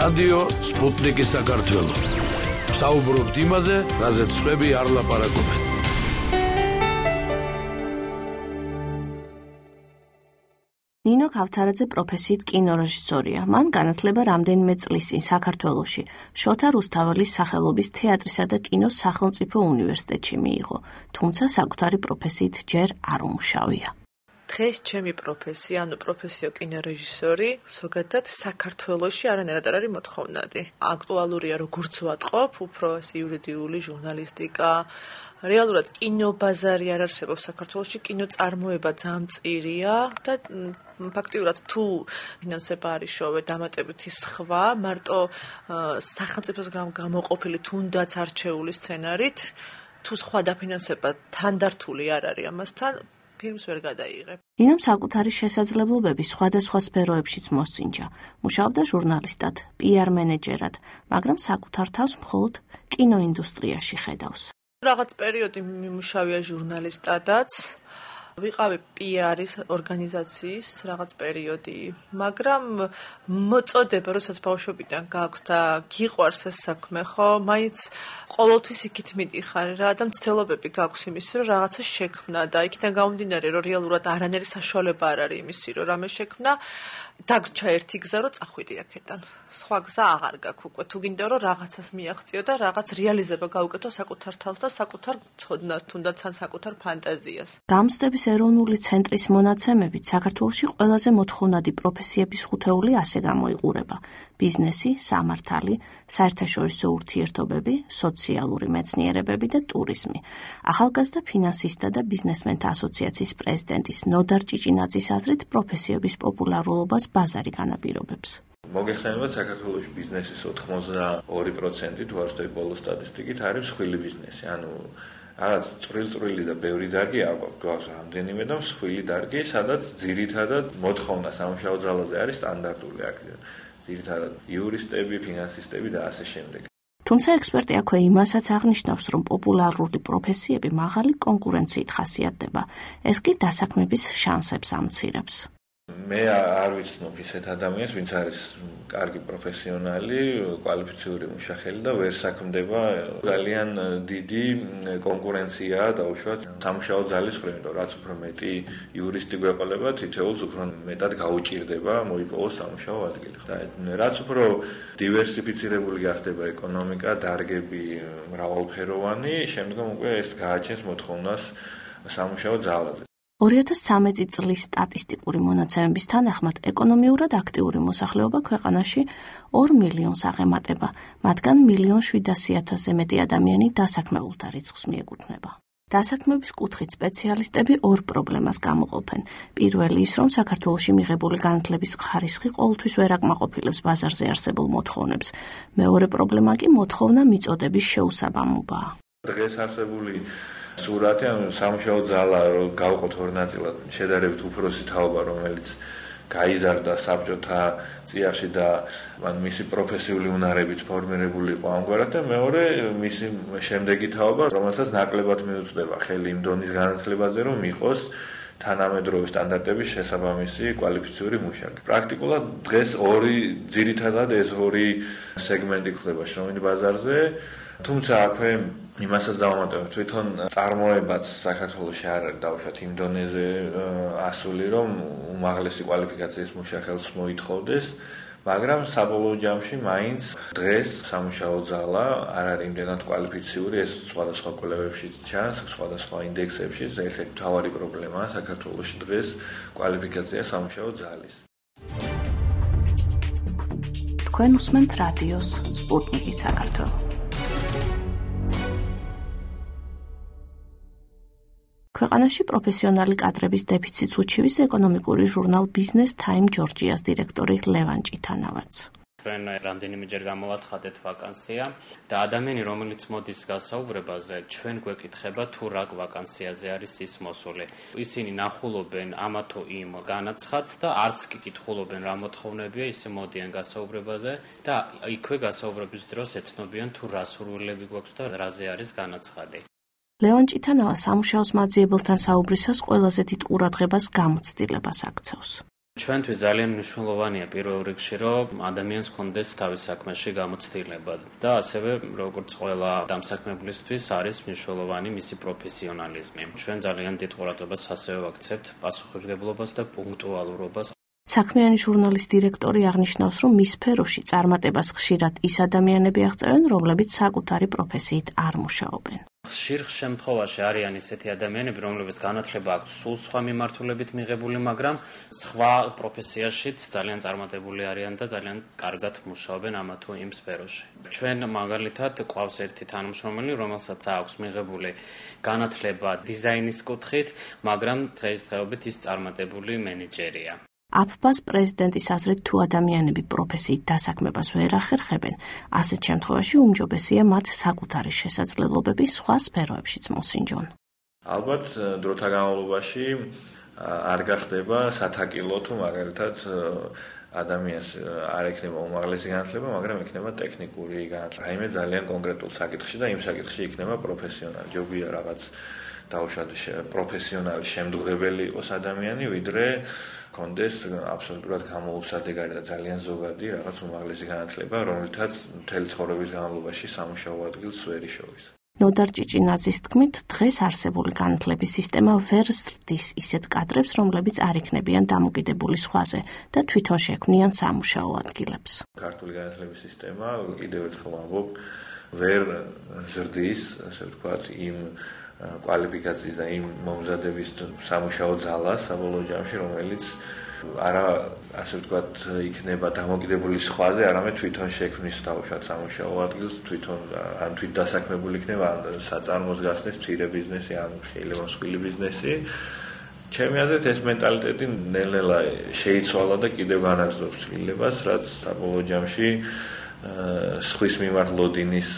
რადიო სპუტნიკი საქართველო. საუბრობთ იმაზე, რაზეც სხვები არ ლაპარაკობენ. ნინო ქავთარაძე პროფესიით კინორეჟისორია. მან განათლება რამდენიმე წლის წინ საქართველოში შოთა რუსთაველის სახელობის თეატრისა და კინოს სახელმწიფო უნივერსიტეტში მიიღო, თუმცა საკუთარი პროფესიით ჯერ არ უმუშავია. დღეს ჩემი პროფესია, პროფესიო კინორეჟისორი, ზოგადად საქართველოში არანაირად არ არის მოთხოვნადი. აქტუალურია როგორც ვატყობ, უფრო იურიდიული ჟურნალისტიკა. რეალურად კინობაზარი არ არსებობს საქართველოში, კინოწარმოება ძალიან მწირია და ფაქტიურად თუ ფინანსება არის შოვე დამატებითი სხვა, მარტო სახელმწიფოს გამოყოფილი თუნდაც არჩეული სცენარით, თუ სხვა დაფინანსება თანდართული არ არის ამასთან, ფილმს ვერ გადაიღებ. ნინომ საკუთარი შესაძლებლობები სხვადასხვა სფეროებშიც მოსწინჯა. მუშაობდა ჟურნალისტად, PR მენეჯერად, მაგრამ საკუთარ თავს მხოლოდ კინოინდუსტრიაში ხედავს. რაღაც პერიოდი მიმუშავია ჟურნალისტადაც, ვიყავი PR-ის ორგანიზაციის რაღაც პერიოდი, მაგრამ მოწოდება, როდესაც ბავშვობიდან გაქვს და გიყვარს ეს საქმე, ხო, მაინც ყოველთვის იქით მიდიხარ რა და მცდელობები გაქვს იმის, რომ რაღაცა შექმნა და იქიდან გამომდინარე, რომ რეალურად არანაირი საშუალება არ არის იმისი, რომ რამე შექმნა, დაგრჩა ერთი გზა, რომ წახვიდი აქედან. სხვა გზა აღარ გაქვს უკვე. თუ გინდა რომ რაღაცას მიაღწიო და რაღაც რეალიზება გაუკეთო საკუთარ თავს და საკუთარ ცოდნას, თუნდაც ან საკუთარ ფანტაზიას. გამოცდების ეროვნული ცენტრის მონაცემებით საქართველოში ყველაზე მოთხოვნადი პროფესიების ხუთეული ასე გამოიყურება: ბიზნესი, სამართალი, საერთაშორისო ურთიერთობები, სოციალური მეცნიერებები და ტურიზმი. ახალგაზრდა ფინანსისტთა და ბიზნესმენთა ასოციაციის პრეზიდენტის ნოდარ ჭიჭინაძის აზრით პროფესიების პოპულარულობას ბაზარი განაპირობებს. მოგეხსენებათ, საქართველოში ბიზნესის 82% თუ არ ვცდები ბოლო სტატისტიკით არის მსხვილი ბიზნესი. ანუ რაღაც წვრილ-წვრილი და ბევრი დარგი აქვს რამდენიმე და მსხვილი დარგი, სადაც ძირითადად მოთხოვნა სამუშაო ძალაზე არის სტანდარტული აქ. ძირითადად იურისტები, ფინანსისტები და ასე შემდეგ. თუმცა ექსპერტი აქვე იმასაც აღნიშნავს, რომ პოპულარული პროფესიები მაღალი კონკურენციით ხასიათდება. ეს კი დასაქმების შანსებს ამცირებს. მე არ ვიცნობ ისეთ ადამიანს, ვინც არის კარგი პროფესიონალი, კვალიფიციური მუშახელი და ვერ საქმდება. ძალიან დიდი კონკურენციაა დაუშვათ სამუშაო ძალის მხრივ, იმიტომ რაც უფრო მეტი იურისტი გვეყოლება, თითოეულს უფრო მეტად გაუჭირდება მოიპოვოს სამუშაო ადგილი. და რაც უფრო დივერსიფიცირებული გახდება ეკონომიკა, დარგები მრავალფეროვანი, შემდგომ უკვე ეს გააჩენს მოთხოვნას სამუშაო ძალაზე. 2013 წლის სტატისტიკური მონაცემების თანახმად ეკონომიურად აქტიური მოსახლეობა ქვეყანაში 2 მილიონს აღემატება, მათგან 1,700,000-ზე მეტი ადამიანი დასაქმებულთა რიცხვს მიეკუთვნება. დასაქმების კუთხით სპეციალისტები ორ პრობლემას გამოყოფენ. პირველი ის, რომ საქართველოში მიღებული განათლების ხარისხი ყოველთვის ვერ აკმაყოფილებს ბაზარზე არსებულ მოთხოვნებს. მეორე პრობლემა კი მოთხოვნა მიწოდების შეუსაბამობაა. დღეს არსებული სურათი, ანუ სამუშაო ძალა რომ გავყოთ ორ ნაწილად, შედარებით უფროსი თაობა, რომელიც გაიზარდა საბჭოთა წიაღში და მისი პროფესიული უნარებით ფორმირებული იყო ამგვარად და მეორე მისი შემდეგი თაობა, რომელსაც ნაკლებად მიუწვდება ხელი იმ დონის განათლებაზე, რომ იყოს თანამედროვე სტანდარტების შესაბამისი კვალიფიციური მუშაკი. პრაქტიკულად დღეს ძირითადად ეს ორი სეგმენტი ხდება შრომით ბაზარზე, თუმცა აქვე იმასაც დავამატებთ, თვითონ წარმოებაც საქართველოში არ არის დაუშვათ იმ დონეზე ასული, რომ უმაღლესი კვალიფიკაციის მუშახელს მოითხოვდეს, მაგრამ საბოლოო ჯამში მაინც დღეს სამუშაო ძალა არ არის იმდენად კვალიფიციური, ეს სხვადასხვა კვლევებშიც ჩანს, სხვადასხვა ინდექსებშიც, ერთ-ერთი მთავარი პრობლემაა საქართველოში დღეს კვალიფიკაცია სამუშაო ძალის. თქვენ უსმენთ რადიოს სპუტნიკი საქართველო. ქვეყანაში პროფესიონალი კადრების დეფიციტს უჩივის ეკონომიკური ჟურნალ Business Time Georgia's დირექტორი ლევან ჭითანავაც. ჩვენ რამდენიმეჯერ გამოვაცხადეთ ვაკანსია და ადამიანი, რომელიც მოდის გასაუბრებაზე, ჩვენ გვეკითხება თუ რა ვაკანსიაზე არის ის მოსული. ისინი ნახულობენ ამა თუ იმ განაცხადს და არც კი კითხულობენ რა მოთხოვნებია, ისე მოდიან გასაუბრებაზე და იქვე გასაუბრების დროს ეცნობიან თუ რა სურვილები გვაქვს და რაზე არის განაცხადი. ლევან ჭითანავა სამუშაოს მაძიებელთან საუბრისას ყველაზე დიდ ყურადღებას გამოცდილებას აქცევს. ჩვენთვის ძალიან მნიშვნელოვანია პირველ რიგში, რომ ადამიანს ჰქონდეს თავის საქმეში გამოცდილება და ასევე როგორც ყველა დამსაქმებლისთვის არის მნიშვნელოვანი მისი პროფესიონალიზმი. ჩვენ ძალიან დიდ ყურადღებას ასევე ვაქცევთ პასუხისმგებლობას და პუნქტუალურობას. საქმიანი ჟურნალის დირექტორი აღნიშნავს, რომ მის სფეროში წარმატებას ხშირად ის ადამიანები აღწევენ, რომლებიც საკუთარი პროფესიით არ მუშაობენ. ხშირ შემთხვევაში არიან ისეთი ადამიანები, რომლებიც განათლება აქვთ სულ სხვა მიმართულებით მიღებული, მაგრამ სხვა პროფესიაშიც ძალიან წარმატებული არიან და ძალიან კარგად მუშაობენ ამა თუ იმ სფეროში. ჩვენ მაგალითად გვყავს ერთი თანამშრომელი, რომელსაც აქვს მიღებული განათლება დიზაინის კუთხით, მაგრამ დღესდღეობით ის წარმატებული მენეჯერია. აფბას პრეზიდენტის აზრით, თუ ადამიანები პროფესიით დასაქმებას ვერ ახერხებენ, ასეთ შემთხვევაში უმჯობესია მათ საკუთარი შესაძლებლობები სხვა სფეროებშიც მოსინჯონ. ალბათ დროთა განმავლობაში არ გახდება სათაკილო, თუ მაგალითად ადამიანს არ ექნება უმაღლესი განათლება, მაგრამ ექნება ტექნიკური განათლება. რაიმე ძალიან კონკრეტულ საკითხში და იმ საკითხში იქნება პროფესიონალი. ჯობია რაღაც დაუშვათ პროფესიონალი შემდგრებელი იყოს ადამიანი, ვიდრე კონდეს აბსოლუტურად გამოუსადეგარი და ძალიან ზოგადი რაღაც უმაღლესი განათლება, რომელთაც მთელი ცხოვრების განმავლობაში სამუშაო ადგილს ვერ იშოვის. ნოდარ ჭიჭინაძის თქმით, დღეს არსებული განათლების სისტემა ვერ ზრდის ისეთ კადრებს, რომლებიც არ იქნებიან დამოკიდებული სხვაზე და თვითონ შექმნიან სამუშაო ადგილებს. ქართული განათლების სისტემა, კიდევ ერთხელ ვამბობ, ვერ ზრდის, ასე ვთქვათ, იმ კვალიფიკაციის და იმ მომზადების სამუშაო ძალას საბოლოო ჯამში, რომელიც არა ასე ვთქვათ იქნება დამოკიდებული სხვაზე, არამედ თვითონ შექმნის თავშად სამუშაო ადგილს, თვითონ ან თვით დასაქმებული იქნება, ან საწარმოს გახსნეს მცირე ბიზნესი, ან შეიძლება მსხვილი ბიზნესი. ჩემი აზრით ეს მენტალიტეტი ნელ-ნელა შეიცვალა და კიდევ განაგრძობს ცვლილებას, რაც საბოლოო ჯამში სხვის მიმართ ლოდინის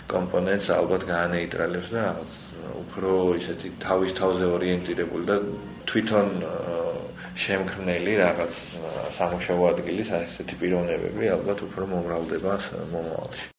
კომპონენტს ალბათ გაანეიტრალებს და უფრო ისეთი თავის თავზე ორიენტირებული და თვითონ შემქმნელი რაღაც სამუშაო ადგილის ასეთი პიროვნებები ალბათ უფრო მომრავლდება მომავალში.